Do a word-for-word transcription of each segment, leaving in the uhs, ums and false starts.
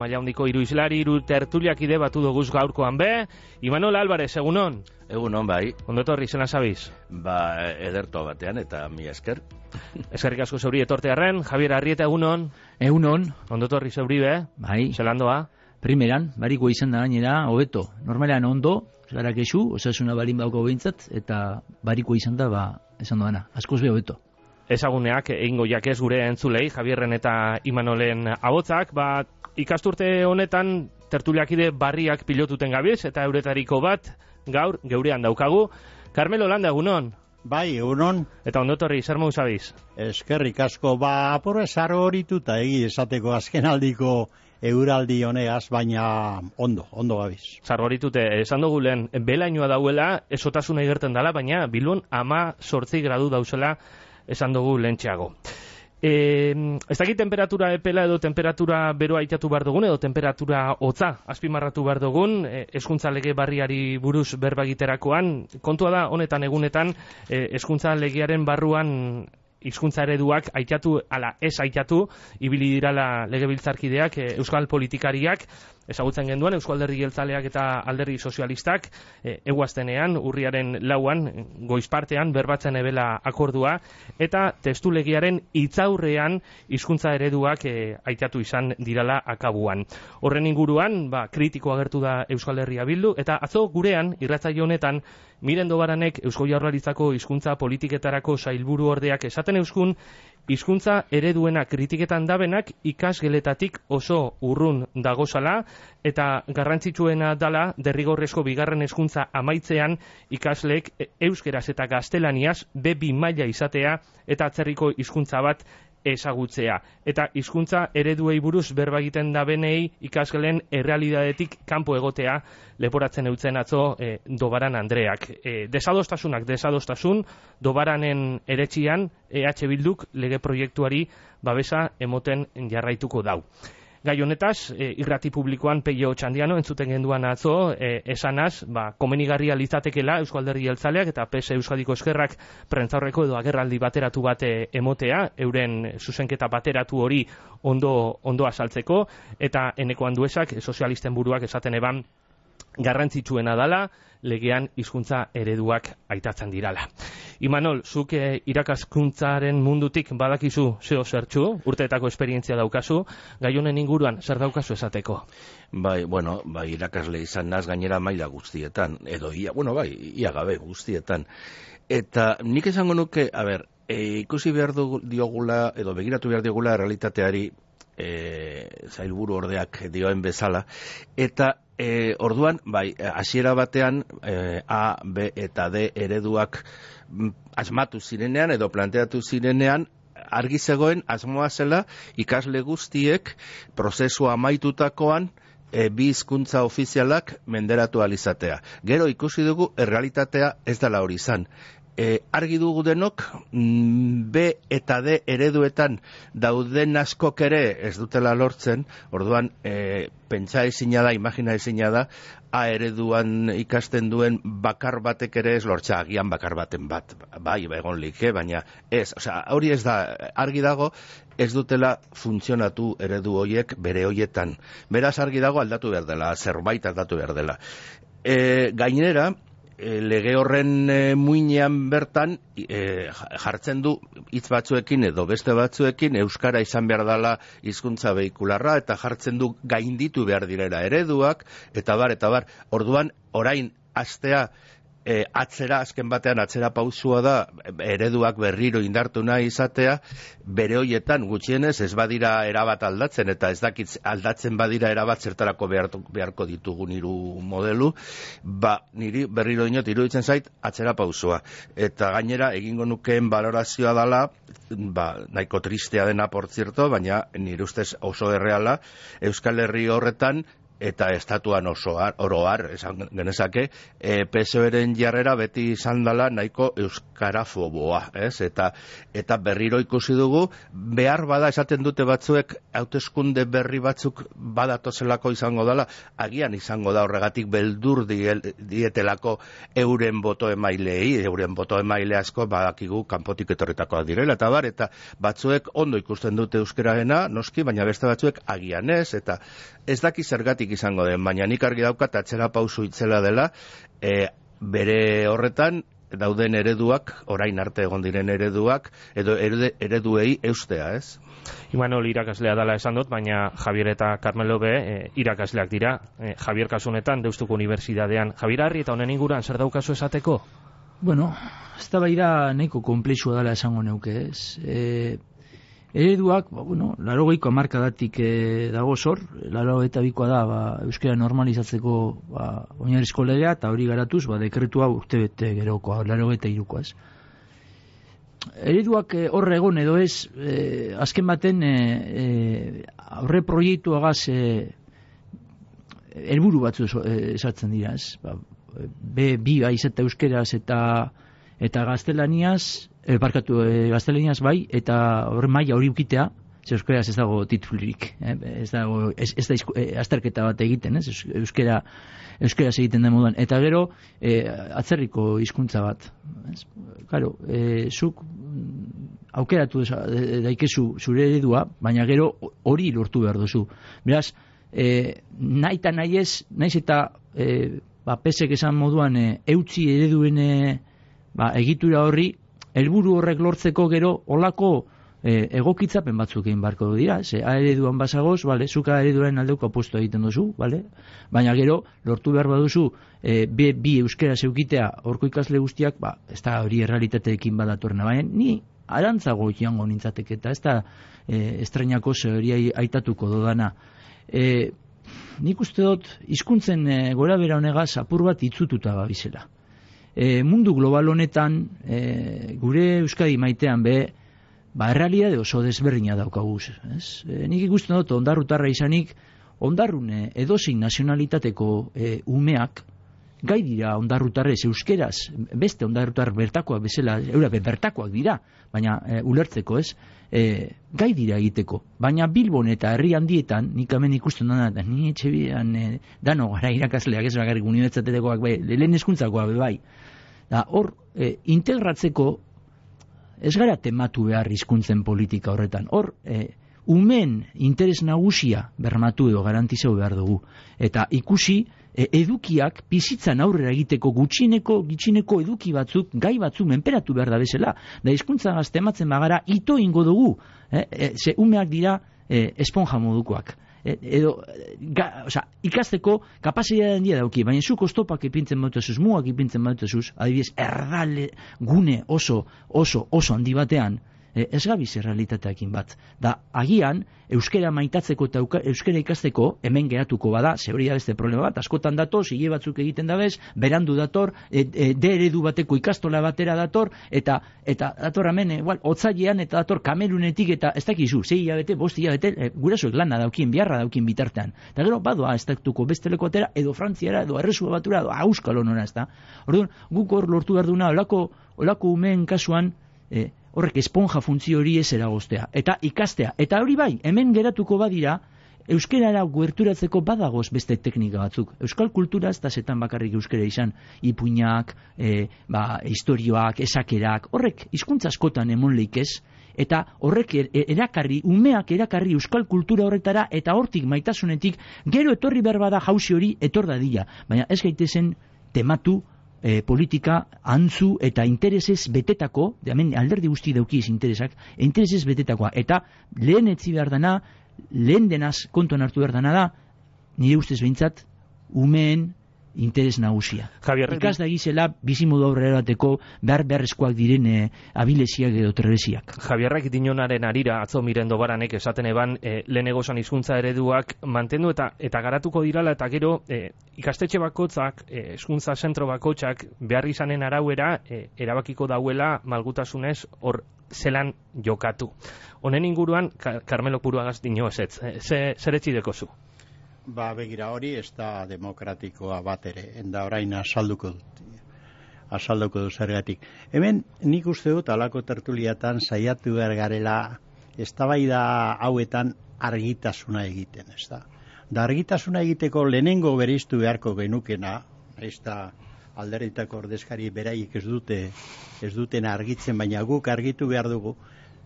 Maila handiko hiru islari, hiru tertuliakide batu doguz gaurkoan be. Imanol Álvarez, egunon? Egunon, bai. Ondo etorri, zena zabiz? Ba, ederto batean eta mi esker. Eskerrik asko zeuri etortearren. Javier Arrieta, egunon? Egunon. Ondo etorri zeuri be? Bai. Zelandoa? Primeran, bariko izan da gainera, hobeto. Normalean ondo, zara kesu, osasuna balin bauko behintzat, eta bariko izan da, ba, esan doana, askoz be hobeto. Ezaguneak, egingo jakez gure entzulei, Javierren eta Imanolen abotzak, ba, ikasturte honetan tertuliakide barriak pilotuten gabiz, eta euretariko bat gaur geurean daukagu. Carmelo Landa, egunon? Bai, egunon. Eta ondotorri, zer mau zabiz? Eskerrik asko, ba, apurre zaro horituta egi esateko azken aldiko euraldi honeaz, baina ondo, ondo gabiz. Zaro horitute, esan dugu lehen, belainoa dauela, esotasuna igerten dala, baina bilun ama sortzi gradu dauzela, esan dugu lehentxeago. E, ez dakit temperatura epela edo temperatura beroa aitatu behar dugun, edo temperatura hotza azpimarratu behar dugun, e, hezkuntza lege barriari buruz berbagiterakoan. Kontua da, honetan egunetan, e, hezkuntza legearen barruan hizkuntza ereduak aitatu, ala ez aitatu, ibili dirala legebiltzarkideak, e, euskal politikariak, ezagutzen genduan, Eusko Alderdi Jeltzaleak eta Alderdi Sozialistak e, eguaztenean, urriaren lauan, goizpartean, berbatzen ebela akordua, eta testulegiaren hitzaurrean hizkuntza ereduak e, aitatu izan dirala akabuan. Horren inguruan, ba, kritiko agertu da Euskal Herria Bildu, eta atzo gurean, irratsaio honetan, Miren Dobaranek Eusko Jaurlaritzako hizkuntza politiketarako sailburu ordeak esaten euskun, hizkuntza ereduena kritiketan dabenak ikasgeletatik oso urrun dagozala, eta garrantzitsuena dala derrigorrezko bigarren hezkuntza amaitzean ikasleek euskeraz eta gaztelaniaz be bi maila izatea eta atzerriko hizkuntza bat ezagutzea. Eta hizkuntza ereduei buruz berba egiten dabenei ikasgelen errealidadetik kanpo egotea leporatzen eutzen atzo e, Dobaran Andreak. E, desadostasunak desadostasun, Dobaranen eretxian E H Bilduk lege proiektuari babesa emoten jarraituko dau. Gai honetaz, e, irrati publikoan Peio Txandiano entzuten genduan atzo, e, esanaz, ba, komenigarria litzatekela Eusko Alderdi Jeltzaleak eta P S Euskadiko Eskerrak prentzaurreko edo agerraldi bateratu bate emotea, euren zuzenketa bateratu hori ondo, ondo azaltzeko, eta eneko Anduezak, sozialisten buruak esaten eban, garrantzitsuena dala, legean hizkuntza ereduak aitatzen dirala. Imanol, zuk eh, irakaskuntzaren mundutik badakizu zeo zertxu, urteetako esperientzia daukazu, gai honen inguruan zer daukazu esateko? Bai, bueno, bai, irakasle izan naz gainera maila guztietan, edo ia, bueno, bai, ia gabe guztietan. Eta nik esango nuke, a ber, e, ikusi behar diogula, edo begiratu behar diogula realitateari e, zailburu ordeak dioen bezala, eta E, orduan, bai, hasiera batean e, A, B eta D ereduak m, asmatu zirenean edo planteatu zirenean, argi zegoen asmoa zela ikasle guztiek prozesua amaitutakoan e, bi hizkuntza ofizialak menderatu alizatea. Gero ikusi dugu errealitatea ez dela hori izan. E, argi dugu denok B eta D ereduetan dauden askok ere ez dutela lortzen, orduan e, pentsa ezina da, imagina ezina da, A ereduan ikasten duen bakar batek ere ez lortza, agian bakar baten bat, bai, egon like, baina ez, osea, hori ez da, argi dago, ez dutela funtzionatu eredu hoiek bere hoietan. Beraz argi dago aldatu behar dela, zerbait aldatu behar dela. E, gainera, lege horren e, muinean bertan e, jartzen du hitz batzuekin edo beste batzuekin euskara izan behar dela hizkuntza behikularra, eta jartzen du gainditu behar direla ereduak, eta bar, eta bar. Orduan, orain astea e, atzera, azken batean atzera pausua da ereduak berriro indartu nahi izatea, bere hoietan gutxienez ez badira erabat aldatzen, eta ez dakit aldatzen badira erabat zertarako beharko, beharko ditugun hiru modelu, ba, niri berriro dinot iruditzen zait atzera pausua. Eta gainera egingo nukeen balorazioa dala, ba, nahiko tristea dena por zierto, baina nire ustez oso erreala, Euskal Herri horretan eta estatuan osoar, oroar, esan genezake, e, P S O eren jarrera beti izan dela nahiko euskarafoboa, ez? Eta, eta berriro ikusi dugu, behar bada esaten dute batzuek, hauteskunde berri batzuk badatozelako izango dela, agian izango da horregatik beldur diel, dietelako euren boto emailei, euren boto emaile asko badakigu kanpotik etorritakoak direla, eta bar, eta batzuek ondo ikusten dute euskaraena, noski, baina beste batzuek agian ez, eta ez daki zergatik izango den, baina nik argi daukat atzera pausu itzela dela, e, bere horretan dauden ereduak, orain arte egon diren ereduak, edo erede, ereduei eustea, ez? Imanol irakaslea dela esan dut, baina Javier eta Carmelo be e, irakasleak dira. E, Javier kasunetan Deustuko Unibertsitatean. Javier Arri eta honen inguruan zer daukazu esateko? Bueno, ez da baira nahiko komplexua dela esango neuke, ez? E, Ereduak, ba, bueno, larogeiko hamarkadatik e, dago zor, laro eta bikoa da, ba, euskera normalizatzeko ba, oinarrizko legea, eta hori garatuz, ba, dekretua urte bete gerokoa, laro eta irukoa, ez. Ereduak horre egon edo ez, e, azken baten, e, e, aurre proiektuagaz e, helburu batzu esatzen dira, ez. Ba, be, bi baiz eta euskeraz eta eta gaztelaniaz, e, barkatu, e, gaztelaniaz bai, eta horre maila hori ukitea, ze euskeraz ez dago titulurik, eh? ez dago, ez, ez da izku, e, azterketa bat egiten, ez? Euskera, euskeraz egiten den moduan, eta gero, e, atzerriko hizkuntza bat, ez? Claro, e, zuk aukeratu daikezu zure eredua, baina gero hori lortu behar duzu. Beraz, e, nahi eta nahi ez, nahiz eta e, ba, pesek esan moduan e, eutzi ereduen e, ba, egitura horri, helburu horrek lortzeko gero olako e, egokitzapen batzuk egin barko dira, ze A ereduan basagoz, vale, zuka ereduaren aldeko apustu egiten duzu, vale? Baina gero lortu behar baduzu e, bi, bi euskera zeukitea horko ikasle guztiak, ba, ez da hori errealitateekin badatorna, baina ni arantzago joango nintzateke, eta ez da e, estrainako ze hori aitatuko dodana. E, nik uste dut hizkuntzen e, gora bera honegaz apur bat itzututa babizela. E, mundu global honetan e, gure Euskadi maitean be ba errealitate oso desberdina daukaguz, ez? E, nik ikusten dut ondarrutarra izanik ondarrun edozein nazionalitateko e, umeak gai dira ondarrutarrez euskeraz, beste ondarrutar bertakoak bezala, eura bertakoak dira, baina e, ulertzeko, ez? E, gai dira egiteko, baina Bilbon eta herri handietan nik hemen ikusten dut, da ni etxe bidean e, dano gara irakasleak, ez bakarrik unibertsitatekoak be, lehen hezkuntzakoak be bai. Da hor e, integratzeko ez gara tematu behar hizkuntzen politika horretan. Hor e, umen interes nagusia bermatu edo garantizeu behar dugu. Eta ikusi e, edukiak bizitzan aurrera egiteko gutxineko gutxineko eduki batzuk, gai batzuk menperatu behar da bezala. Da hizkuntza gaztematzen bagara ito ingo dugu. E, e, ze umeak dira e, esponja modukoak. E, edo, ga, oza, ikasteko kapazitatea handia dauki, baina zuk oztopak ipintzen bautezuz, mugak ipintzen bautezuz, adibidez, erdale gune oso, oso, oso handi batean, e, ez gabiz errealitateakin bat. Da, agian, euskera maitatzeko eta euskera ikasteko hemen geratuko bada, ze hori da beste problema bat, askotan dator, hile batzuk egiten dabez, berandu dator, e, e, de eredu bateko ikastola batera dator, eta eta dator hemen, igual, otzailean, eta dator kamerunetik, eta ez dakizu, zei hilabete, bost hilabete, e, gurasoek lana daukien, biharra daukien bitartean. Eta gero, badoa, ez daktuko besteleko atera, edo frantziara, edo erresua batura, edo auskalo nora, ez da. Orduan, guk hor lortu behar duna, olako, olako umeen kasuan, e, horrek esponja funtzio hori ez eragoztea, eta ikastea, eta hori bai, hemen geratuko badira, euskerara gerturatzeko badagoz beste teknika batzuk. Euskal kultura ez da zetan bakarrik euskera izan, ipuinak, e, ba, historioak, esakerak, horrek hizkuntza askotan emon leikez, eta horrek er, erakarri, umeak erakarri euskal kultura horretara, eta hortik maitasunetik, gero etorri behar bada jauzi hori etor dadila, baina ez gaitezen tematu, E, politika antzu eta interesez betetako, de hemen alderdi guzti daukiz interesak, interesez betetakoa, eta lehen etzi behar dana, lehen denaz kontuan hartu behar dana da, nire ustez behintzat, umeen interes nagusia. Javier, ikas da gizela bizimodu aurrera bateko behar beharrezkoak diren e, abilesiak edo trebesiak. Javierrak dinonaren arira atzo Mirendo Baranek esaten eban e, lehenego san hizkuntza ereduak mantendu eta eta garatuko dirala, eta gero e, ikastetxe bakotzak, e, hizkuntza zentro bakotzak behar izanen arauera e, erabakiko dauela malgutasunez hor zelan jokatu. Honen inguruan Carmelo Puruagaz dino ez, e, ze, zer etxideko zu? Ba, begira hori ez da demokratikoa bat ere, enda orain asalduko dut. Asalduko dut zergatik. Hemen nik uste dut alako tertuliatan saiatu behar garela eztabaida hauetan argitasuna egiten, ez da. Da argitasuna egiteko lehenengo bereiztu beharko genukena, ez da alderditako ordezkari beraiek ez dute ez duten argitzen, baina guk argitu behar dugu,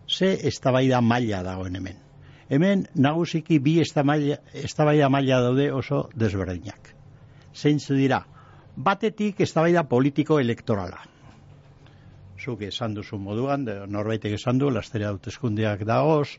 ze eztabaida maila dagoen hemen. Hemen nagusiki bi eztabaida maila daude oso desberdinak. Zeintzu dira, batetik eztabaida politiko elektorala. Zuk esan duzu moduan, norbaitek esan du, lastera hauteskundeak dagoz,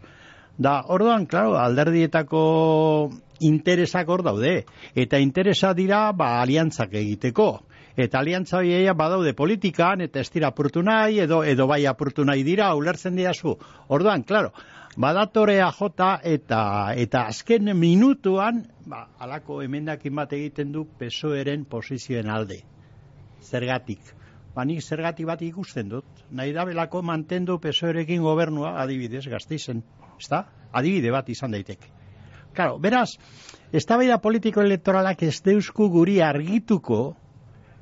da, orduan, klaro, alderdietako interesak hor daude, eta interesa dira, ba, aliantzak egiteko. Eta aliantza horiek badaude politikan, eta ez dira apurtu nahi, edo, edo bai apurtu nahi dira, ulertzen diazu. Orduan, klaro, badatorea jota eta eta azken minutuan, ba, alako emendakin bat egiten du P S O E-ren posizioen alde. Zergatik. Ba, nik zergatik bat ikusten dut. Nahi da belako mantendu P S O E-rekin gobernua, adibidez, Gasteizen. Ezta? Adibide bat izan daiteke. Claro, beraz, eztabaida politiko elektoralak ez deusku guri argituko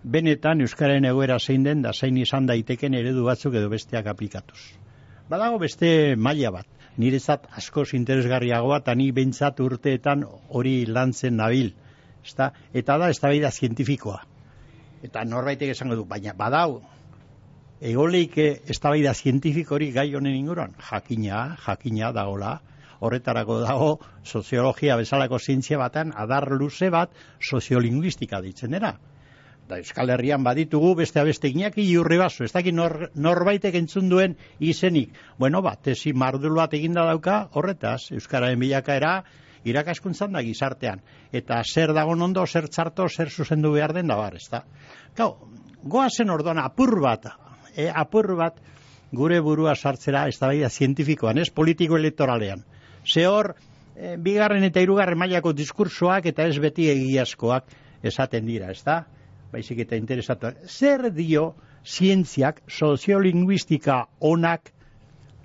benetan euskararen egoera zein den da zein izan daiteken eredu batzuk edo besteak aplikatuz. Badago beste maila bat, niretzat askoz interesgarriagoa eta ni behintzat urteetan hori lantzen nabil, ezta? Eta da eztabaida zientifikoa. Eta norbaitek esango du, baina badau egoleik eztabaida zientifikori gai honen inguruan, jakina, jakina dagola, horretarako dago soziologia bezalako zientzia batan adar luze bat soziolinguistika ditzen dira. Da Euskal Herrian baditugu beste abeste Iñaki Iurribaso, ez dakit nor, norbaitek entzun duen izenik. Bueno, ba, tesi mardul bat eginda dauka horretaz, Euskararen bilakaera irakaskuntzan da gizartean. Eta zer dagon ondo, zer txarto, zer zuzendu behar den da bar, ez da. Gau, goazen orduan apur bat, e, apur bat gure burua sartzera eztabaida zientifikoan, ez politiko elektoralean. Ze hor, e, bigarren eta hirugarren mailako diskursoak eta ez beti egiazkoak esaten dira, ez da? Baizik eta interesatuak. Zer dio zientziak soziolinguistika onak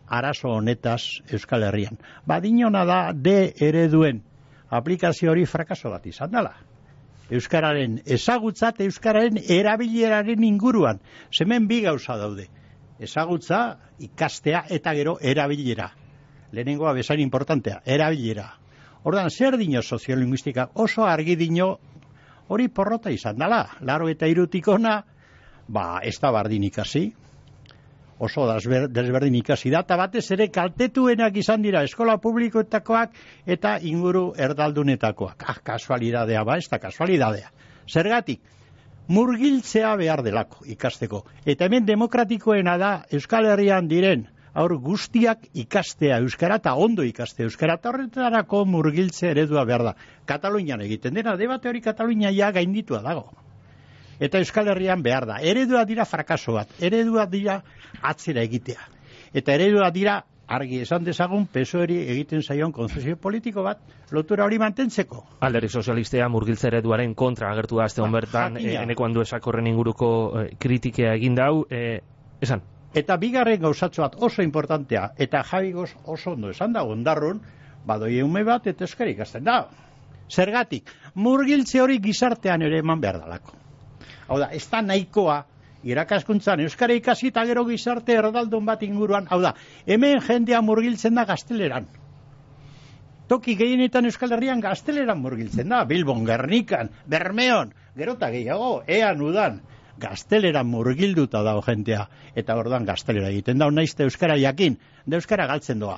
arazo honetaz Euskal Herrian? Badinona da D ereduen aplikazio hori frakaso bat izan dela. Euskararen ezagutza eta Euskararen erabileraren inguruan. Hemen bi gauza daude. Ezagutza, ikastea eta gero erabilera. Lehenengoa bezain importantea, erabilera. Ordan zer dino soziolinguistika? Oso argi dino hori porrota izan dela, laro eta irutik ona, ba, ez da bardin ikasi, oso desberdin ikasi da, eta batez ere kaltetuenak izan dira eskola publikoetakoak eta inguru erdaldunetakoak. Ah, kasualidadea, ba, ez da kasualidadea. Zergatik, murgiltzea behar delako ikasteko. Eta hemen demokratikoena da Euskal Herrian diren, aur guztiak ikastea euskara eta ondo ikastea euskara eta horretarako murgiltze eredua behar da. Katalunian egiten dena, debate hori Katalunia ja gainditua dago. Eta Euskal Herrian behar da. Eredua dira frakaso bat, eredua dira atzera egitea. Eta eredua dira, argi esan dezagun, P S O E-ri egiten zaion konzesio politiko bat, lotura hori mantentzeko. Alderdi sozialistea murgiltze ereduaren kontra agertu da azte honbertan, ba, e, eneko handuesak horren inguruko e, kritikea egin dau, e, esan. Eta bigarren gauzatxo bat oso importantea, eta Jabigoz oso ondo esan da, ondarrun, badoi eume bat eta euskara ikasten da. Zergatik, murgiltze hori gizartean ere eman behar dalako. Hau da, ez da nahikoa, irakaskuntzan euskara ikasi eta gero gizarte erdaldun bat inguruan, hau da, hemen jendea murgiltzen da gazteleran. Toki gehienetan Euskal Herrian gazteleran murgiltzen da, Bilbon, Gernikan, Bermeon, gero eta gehiago, ean udan. Gaztelera murgilduta dago jentea, eta orduan gaztelera egiten da, naizte euskara jakin, da euskara galtzen doa.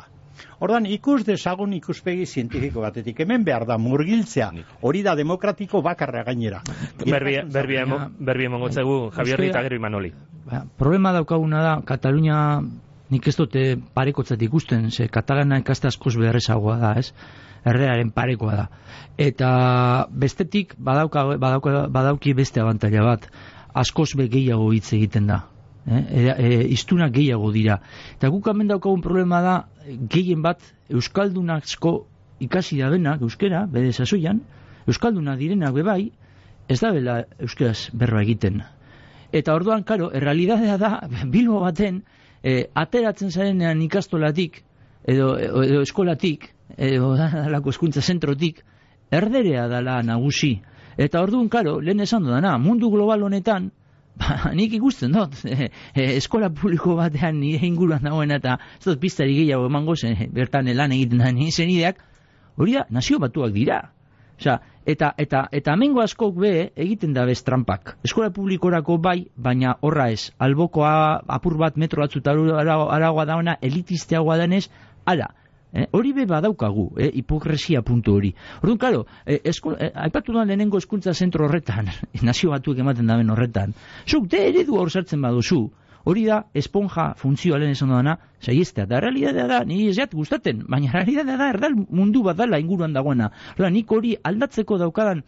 Orduan ikus dezagun ikuspegi zientifiko batetik, hemen behar da murgiltzea, hori da demokratiko bakarra gainera. Berbi emongotzegu, Javier eta gero Imanoli. Ba, problema daukaguna da, Katalunia nik ez dute parekotzat ikusten, ze katalana ikaste askoz beharrezagoa da, ez? Errearen parekoa da. Eta bestetik badauka, badauka, badauki beste abantaila bat, askoz be gehiago hitz egiten da. Eh? E, e, iztunak gehiago dira. Eta guk hemen daukagun problema da, gehien bat, euskaldunazko ikasi da benak, euskera, bede sasoian, euskalduna direnak bebai, ez da bela euskaraz berba egiten. Eta orduan, karo, errealidadea da, Bilbo baten, e, ateratzen zarenean ikastolatik, edo, edo eskolatik, edo dalako eskuntza zentrotik, erderea dala nagusi. Eta orduan, karo, lehen esan dudana, mundu global honetan, ba, nik ikusten dut, e, e, eskola publiko batean nire inguruan dagoena eta ez dut piztari gehiago emango zen, bertan lan egiten da nire zenideak, hori da, nazio batuak dira. Osea, eta, eta, eta amengo askok be egiten da bez trampak. Eskola publikorako bai, baina horra ez, albokoa apur bat metro batzut aragoa dauna, elitisteagoa denez, ala, Eh, hori be badaukagu, eh, hipokresia puntu hori. Orduan, karo, eh, esko, eh, aipatu da lehenengo hezkuntza zentro horretan, nazio batuek ematen daben horretan, zuk de eredu hor sartzen baduzu, hori da esponja funtzioa lehen esan dudana, saiestea, da realidadea da, niri ez jat gustaten, baina realidadea da, erdal mundu bat dala inguruan dagoena. Orduan, nik hori aldatzeko daukadan,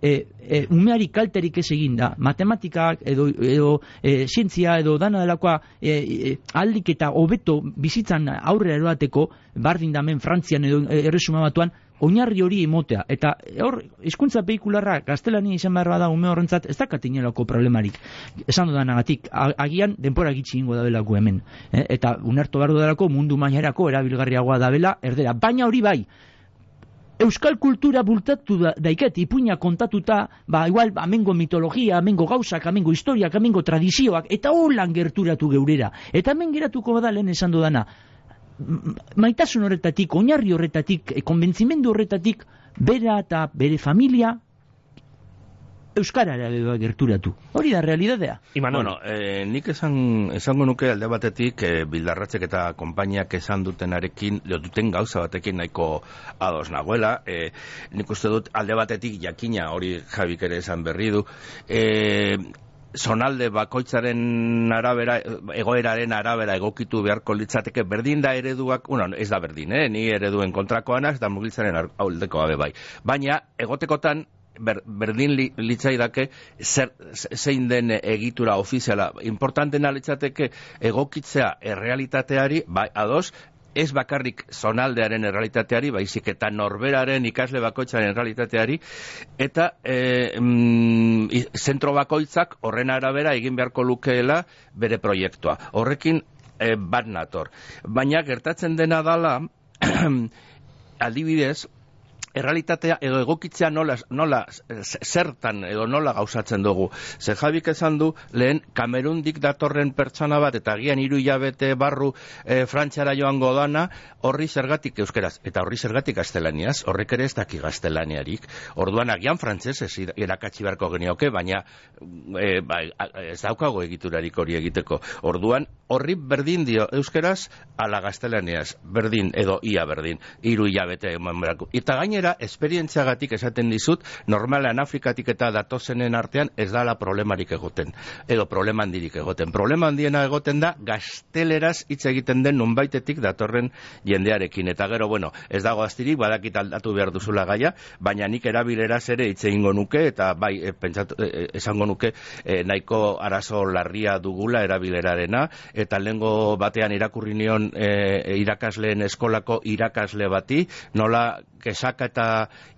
E, e, umeari kalterik ez egin da, matematikak edo, edo e, zientzia edo dana delakoa e, e, aldik eta hobeto bizitzan aurrera eroateko, bardin damen Frantzian edo erresuma batuan, oinarri hori emotea. Eta hor, hizkuntza veikularra gaztelania izan behar bada ume horrentzat, ez da katinelako problemarik. Esan dudanagatik, agian denpora gitxi ingo dabelako hemen. E, eta unertu behar dudarako mundu mailarako erabilgarriagoa dabela erdera. Baina hori bai, euskal kultura bultatu da, daiket, ipuina kontatuta, ba, igual, amengo mitologia, amengo gauzak, amengo historiak, amengo tradizioak, eta holan gerturatu geurera. Eta hemen geratuko bada lehen esan dudana, maitasun horretatik, oinarri horretatik, konbentzimendu horretatik, bera eta bere familia, euskarara gerturatu. Hori da realidadea. Bueno, eh, nik esan, esango nuke alde batetik eh, Bildarratzek eta konpainiak esan dutenarekin, duten gauza batekin nahiko ados nagoela. Eh, nik uste dut alde batetik jakina, hori Jabik ere esan berri du, eh, zonalde bakoitzaren arabera, egoeraren arabera egokitu beharko litzateke berdin da ereduak, bueno, ez da berdin, eh? Ni ereduen kontrakoanak, da mugitzaren aldeko gabe bai. Baina, egotekotan, Ber, berdin li, litzaidake zer, zein den egitura ofiziala. Importantena litzateke egokitzea errealitateari, bai, ados, ez bakarrik zonaldearen errealitateari, baizik eta norberaren ikasle bakoitzaren errealitateari, eta e, mm, zentro bakoitzak horren arabera egin beharko lukeela bere proiektua. Horrekin e, bat nator. Baina gertatzen dena dala, adibidez, errealitatea edo egokitzea nola, nola zertan edo nola gauzatzen dugu. Ze Jabik esan du, lehen Kamerundik datorren pertsona bat eta agian hiru hilabete barru e, Frantziara joango dana, horri zergatik euskeraz, eta horri zergatik gaztelaniaz, horrek ere ez daki gaztelaniarik. Orduan agian frantzesez irakatsi beharko genioke, baina e, ba, ez daukago egiturarik hori egiteko. Orduan horri berdin dio euskeraz ala gaztelaniaz, berdin edo ia berdin, hiru hilabete eman berako. Eta gainera, esperientziagatik esaten dizut, normalan Afrikatik eta datozenen artean ez dala problemarik egoten, edo problema handirik egoten. Problema handiena egoten da, gazteleraz hitz egiten den nonbaitetik datorren jendearekin. Eta gero, bueno, ez dago astirik, badakit aldatu behar duzula gaia, baina nik erabileraz ere hitz egingo nuke, eta bai, e, pentsatu, e, esango nuke e, nahiko arazo larria dugula erabilerarena, eta lehengo batean irakurri nion e, irakasleen eskolako irakasle bati, nola kesaka eta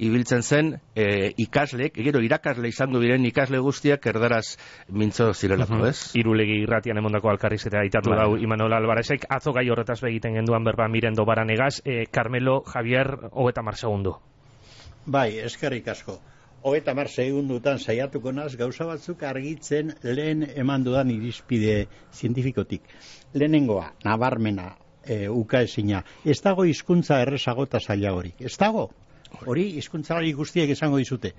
ibiltzen zen e, ikasleek, gero irakasle izango diren ikasle guztiak erdaraz mintzo zirelako, uh-huh. ez? Irulegi irratian emondako alkarrizeta aitatu bai. Dau Imanol Alvarezek, atzo gai horretaz begiten genduan berba Mirendo Baranegaz, e, Carmelo Javier, hogeta mar segundu. Bai, eskerrik asko. Hogeta mar segundutan saiatuko naz gauza batzuk argitzen lehen eman dudan irizpide zientifikotik. Lehenengoa, nabarmena, E, ukaezina. Ez dago hizkuntza errezago eta zaila hori. Ez dago. Hori hizkuntzalari guztiek esango dizute.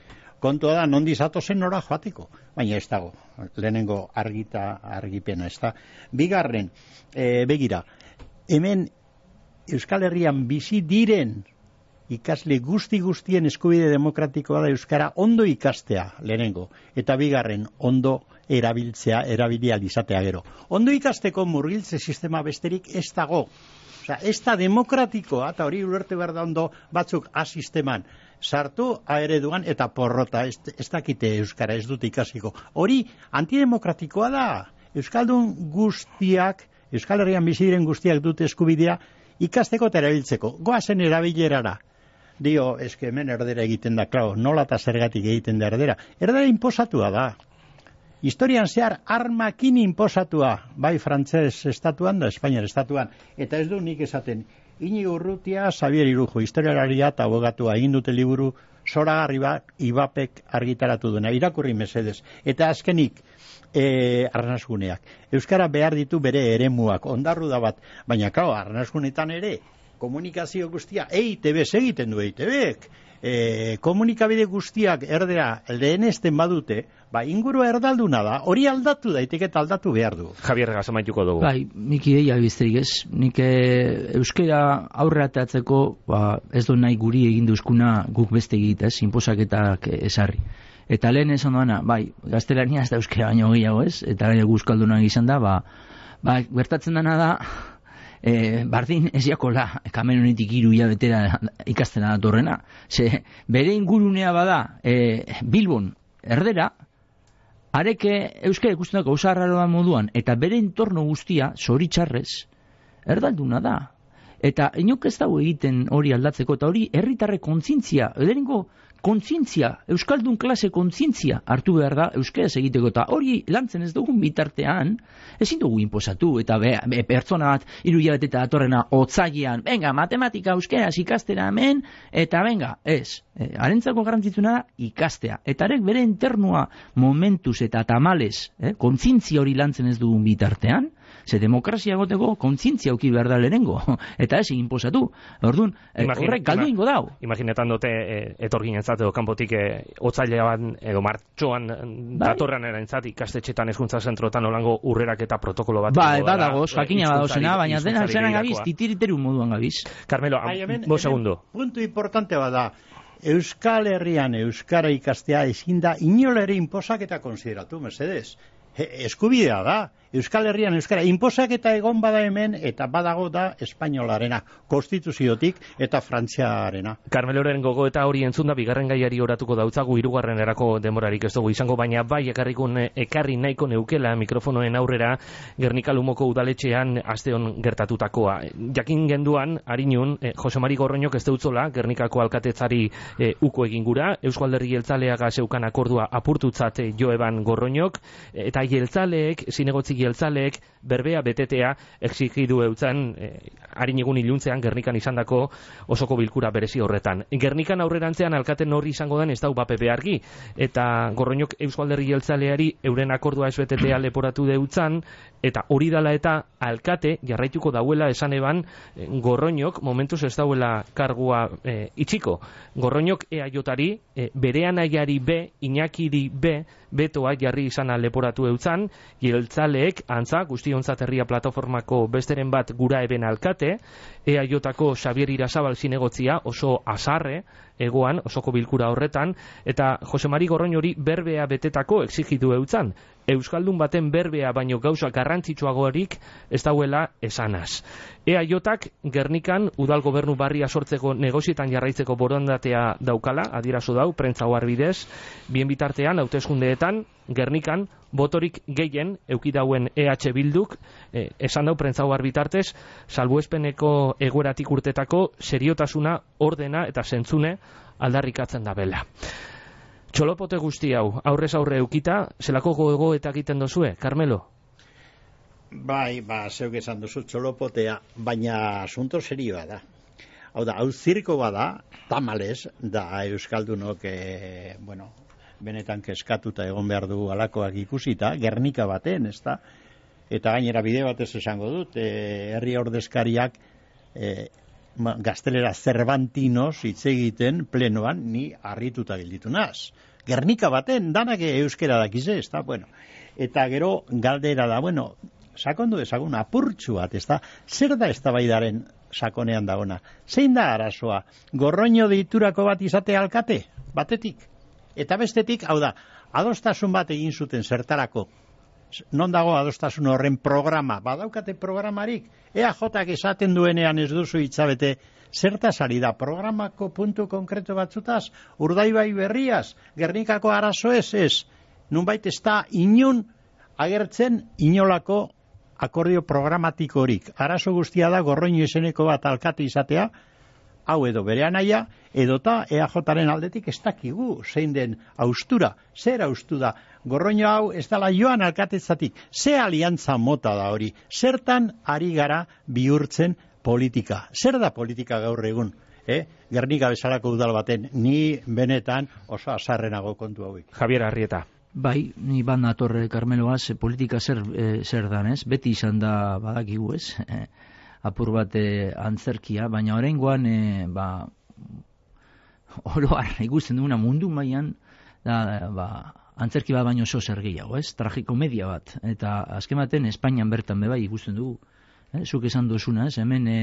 Kontua da, nondi zatozen nora joateko. Baina ez dago. Lehenengo argita argipena. Ez da. Bigarren, e, begira, hemen Euskal Herrian bizi diren ikasle guzti guztien eskubide demokratikoa da euskara ondo ikastea, lehenengo. Eta bigarren, ondo erabiltzea, erabilia izatea gero. Ondo ikasteko murgiltze sistema besterik ez dago. Osea, ez da demokratikoa, eta hori ulertu behar da ondo batzuk A sisteman sartu A ereduan eta porrota, ez, ez dakite euskara, ez dute ikasiko. Hori antidemokratikoa da. Euskaldun guztiak, Euskal Herrian bizi diren guztiak dute eskubidea ikasteko eta erabiltzeko. Goazen erabilerara. Dio, eske hemen erdera egiten da, klar, nola eta zergatik egiten da erdera. Erdera inposatua da. Historian zehar armakin inposatua, bai frantzes estatuan da Espainiar estatuan. Eta ez du nik esaten, Inigo Urrutia, Xabier Irujo, historialaria eta abogatua egin dute liburu zoragarri bat Ibapek argitaratu duena, irakurri mesedez. Eta azkenik, e, arnasguneak. Euskara behar ditu bere eremuak, ondarru da bat, baina kau, arnasgunetan ere, komunikazio guztia, E I T B egiten du E I T Bek, e, komunikabide guztiak erdera lehenesten badute, ba, inguru erdalduna da, hori aldatu daiteke eta aldatu behar du. Javier Gazamaituko dugu. Bai, nik ideia bizterik ez. Nik e, euskera aurre atatzeko, ba, ez du nahi guri egin duzkuna guk beste egit, ez, inposaketak esarri. Eta lehen esan duana, bai, gaztelania ez da euskera baino gehiago ez, eta gure guzkaldunak izan da, ba, ba, bertatzen dana da, E, bardin ez jakola Kamerunitik hiru hilabetera ikastena datorrena. Ze bere ingurunea bada e, Bilbon erdera, areke euskara ikusten da gauza arraroa moduan, eta bere entorno guztia, zoritxarrez, erdalduna da. Eta inok ez dago egiten hori aldatzeko, eta hori herritarre kontzientzia, ederengo kontzientzia, euskaldun klase kontzientzia hartu behar da euskaraz egiteko, eta hori lantzen ez dugun bitartean, ezin dugu inposatu, eta be, be, pertsona bat hiru hilabete eta datorrena otzailean, venga, matematika euskaraz ikastera hemen, eta venga, ez, e, harentzako garrantzitsuna da ikastea, eta arek bere internua momentuz eta tamales, eh, kontzientzia hori lantzen ez dugun bitartean, ze demokrazia goteko kontzientzia auki behar da lehenengo, eta ez inposatu. Orduan, eh, horrek galdu ingo dau. Imaginetan dute eh, etorginentzat edo kanpotik eh, otzailean edo martxoan bai. Datorren erantzat ikastetxetan hezkuntza zentrotan olango urrerak eta protokolo bat. Ba, badagoz, jakina badozena, baina dena zenan gabiz, titiriteru moduan gabiz. Carmelo, bo segundo. Puntu importante bada, Euskal Herrian Euskara ikastea ezin da inola ere inposak eta konsideratu, mesedez. Eskubidea da, Euskal Herrian Euskara inposaketa egon bada hemen eta badago da espainolarena, konstituziotik eta frantziarena. Carmeloren gogo eta hori entzunda bigarren gaiari oratuko dautzagu hirugarren erako demorarik ez dugu izango, baina bai ekarrikun ekarri nahiko neukela mikrofonoen aurrera Gernika Lumoko udaletxean asteon gertatutakoa. Jakin genduan, harinun, eh, Jose Mari Gorroñok ez deutzola Gernikako alkatetzari eh, uko egin gura, Eusko Alderdi Jeltzaleaga zeukan akordua apurtutzat eh, joeban Gorroñok, eta jeltzaleek, zinegotzi jeltzaleek, berbea betetea exigidu eutzen eh, harin egun iluntzean Gernikan izandako osoko bilkura berezi horretan. Gernikan aurrerantzean alkaten horri izango den ez dau bape behargi, eta Gorroñok Eusko Alderdi Jeltzaleari euren akordua ez betetea leporatu deutzan, eta hori dala eta alkate jarraituko dauela esan eban eh, Gorroñok momentuz ez dauela kargua eh, itxiko. Gorroñok eaiotari eh, bere anaiari be, Iñakiri be, betoa jarri izana leporatu eutzan, jeltzaleek antza, guztionzat herria plataformako besteren bat gura eben alkate, eaiotako Xabier Irasabal zinegotzia oso azarre, egoan, osoko bilkura horretan, eta Jose Mari Gorroñori berbea betetako exigitu eutzan. Euskaldun baten berbea baino gauza garrantzitsuagorik ez dauela esanaz. eaiotak Gernikan udal gobernu barria sortzeko negozietan jarraitzeko borondatea daukala, adierazu dau, prentza ohar bidez, bien bitartean, hauteskundeetan, Gernikan, botorik gehien eukidauen E H Bilduk, eh, esan dau prentza ohar bitartez, salbuespeneko egoeratik urtetako seriotasuna, ordena eta zentzune aldarrikatzen da bela. Txolopote guzti hau, aurrez aurre eukita, zelako gogo eta egiten dozue, Carmelo? Bai, ba, zeuk esan duzu txolopotea, baina asunto serioa da. Hau da, hau zirko bada, tamales, da Euskaldunok, e, bueno, benetan keskatuta egon behar du alakoak ikusita, Gernika baten, ez da? Eta gainera bide batez esango dut, e, herri ordezkariak, e, gaztelera Cervantinos hitz egiten plenoan ni harrituta gelditu naz. Gernika baten danak euskera dakize, ez da, bueno. Eta gero galdera da, bueno, sakondu ezagun apurtxu bat, ez da, zer da eztabaidaren sakonean dagoena? Zein da arazoa? Gorroño deiturako bat izate alkate, batetik. Eta bestetik, hau da, adostasun bat egin zuten zertarako. Non dago adostasun horren programa? Badaukate programarik? E A Jak esaten duenean ez duzu itzabete, zertaz ari da programako puntu konkreto batzutaz? Urdaibai berriaz? Gernikako arazo ez ez? Nunbait ez da inon agertzen inolako akordio programatikorik. Arazo guztia da Gorroño izeneko bat alkate izatea, hau edo bere anaia, edota E A Jaren aldetik ez dakigu zein den austura, zer austu da. Gorroño hau ez dala joan alkatetzatik, ze aliantza mota da hori, zertan ari gara bihurtzen politika. Zer da politika gaur egun? eh? Gernika bezalako udal baten, ni benetan oso azarrenago kontu hauek. Javier Arrieta. Bai, ni bat natorre Karmeloaz, politika zer, e, zer dan, ez? Beti izan da badakigu, ez? E, apur bat e, antzerkia, baina oraingoan e, ba, oroar ikusten duguna mundu mailan da, ba, antzerki bat baino oso zer gehiago, ez? Tragikomedia bat, eta azken baten Espainian bertan be bai ikusten dugu, eh? Zuk esan duzuna, ez? Hemen e,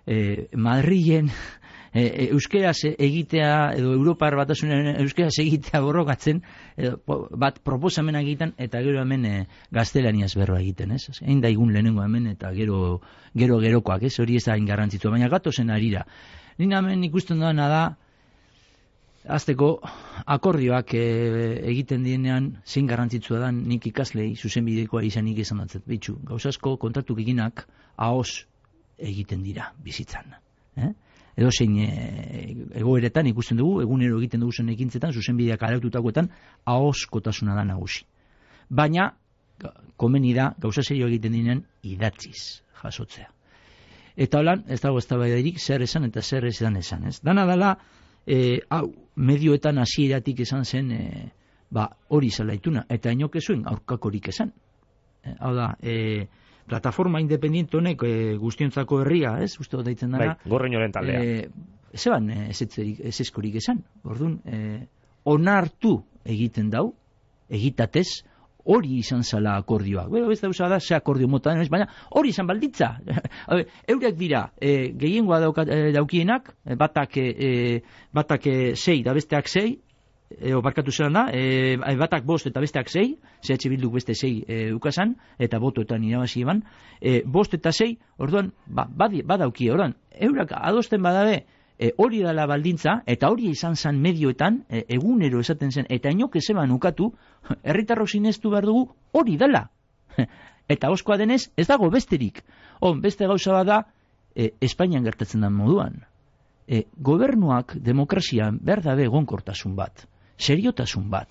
e, Madrilen e, e, euskeraz egitea edo Europar Batasunean euskeraz egitea borrokatzen, edo, bat proposamena egiten eta gero hemen e, gaztelaniaz berba egiten, ez? Egin da igun lehenengo hemen eta gero gero gerokoak, ez? Hori ez da garrantzitsua, baina gatozen arira. Nina hemen ikusten dana da azteko akordioak e, egiten dienean zein garrantzitsua da nik ikaslei zuzenbidekoa izanik izan datzet. Bitxu, gauzasko kontaktuk eginak ahoz egiten dira bizitzan. Eh? Edo zein e, egoeretan ikusten dugu, egunero egiten dugu zen ekintzetan, zuzenbideak araututakoetan ahozkotasuna da nagusi. Baina, komeni da, gauza serio egiten dienen idatziz jasotzea. Eta holan, ez dago eztabaidarik zer esan eta zer esan esan. Ez? Dana dala, E, hau, medioetan hasieratik esan zen e, ba, hori zelaituna, eta inok zuen aurkakorik esan. E, hau da, e, plataforma independiente honek e, guztiontzako herria, ez, uste daitzen dara. Bai, Gorroñoren taldea. E, Zeban, ez ezkorik esan, orduan, e, onartu egiten dau, egitatez, hori izan zala akordioa. Bero, ez da da, ze akordio mota, baina hori izan balditza. Eurek dira, e, gehiengoa dauka, e, daukienak, batak, e, batak e, sei da besteak sei, e, barkatu zelan da, e, batak bost eta besteak sei, C H Bilduk beste sei e, ukasan, eta botoetan irabazi eban, e, bost eta sei, orduan, ba, badaukie, orduan, eurak adosten badabe, E, hori dela baldintza, eta hori izan zen medioetan, e, egunero esaten zen, eta inoke zeban ukatu, herritarrok sinestu behar dugu, hori dela. Eta oskoa denez, ez dago besterik. On, beste gauza bada, e, Espainian gertatzen den moduan. E, gobernuak, demokrazian, behar dabe egonkortasun bat, seriotasun bat.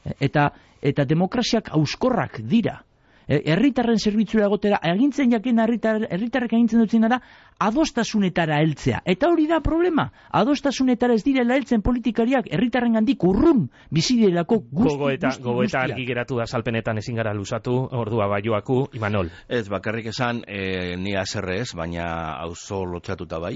E, eta, eta demokraziak auskorrak dira. Herritarren zerbitzura egotera, agintzen jakin herritarrek agintzen dutzen da, adostasunetara heltzea. Eta hori da problema. Adostasunetara ez direla heltzen politikariak, herritarren gandik urrun bizidelako guzti, gogoeta, guzti, gogoeta guztia. argi geratu da salpenetan ezin gara luzatu, ordua baioaku, Imanol. Ez, bakarrik esan, e, ni azerre ez, baina auzo lotxatuta bai,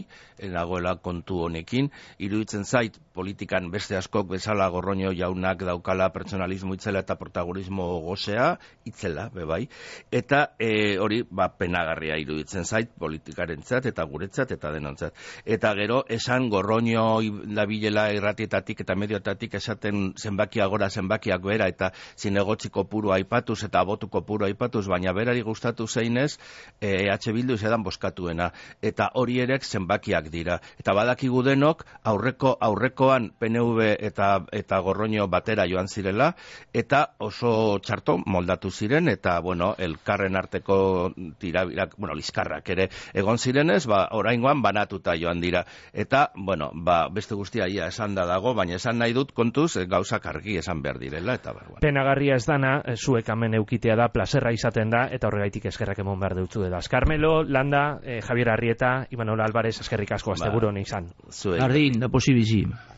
nagoela kontu honekin, iruditzen zait, politikan beste askok bezala Gorroño jaunak daukala pertsonalismo itzela eta protagonismo gozea, itzela, bebai, eta e, hori, ba, penagarria iruditzen zait, politikarentzat eta guretzat eta denontzat. Eta gero, esan Gorroño dabilela irratietatik eta medioetatik esaten zenbakia gora zenbakiak bera eta zinegotzi kopuru aipatuz eta botu kopuru aipatuz, baina berari gustatu zeinez, E H Bildu izadan boskatuena. Eta hori erek zenbakiak dira. Eta badakigu denok, aurreko aurrekoan P N V eta, eta Gorroño batera joan zirela, eta oso txarto moldatu ziren, eta, bueno, elkarren arteko tirabirak, bueno, liskarrak ere egon zirenez, ba, oraingoan banatuta joan dira. Eta, bueno, ba, beste guztia ia esan da dago, baina esan nahi dut kontuz, e, gauzak argi esan behar direla, eta bar, bueno. Penagarria ez dana, zuek hemen eukitea da, plazerra izaten da, eta horregaitik eskerrak emon behar dutzu edaz. Carmelo, Landa, eh, Javier Arrieta, Imanol Álvarez, eskerrik asko, asteburu honi izan. Zuei. Ardin, da posibizi.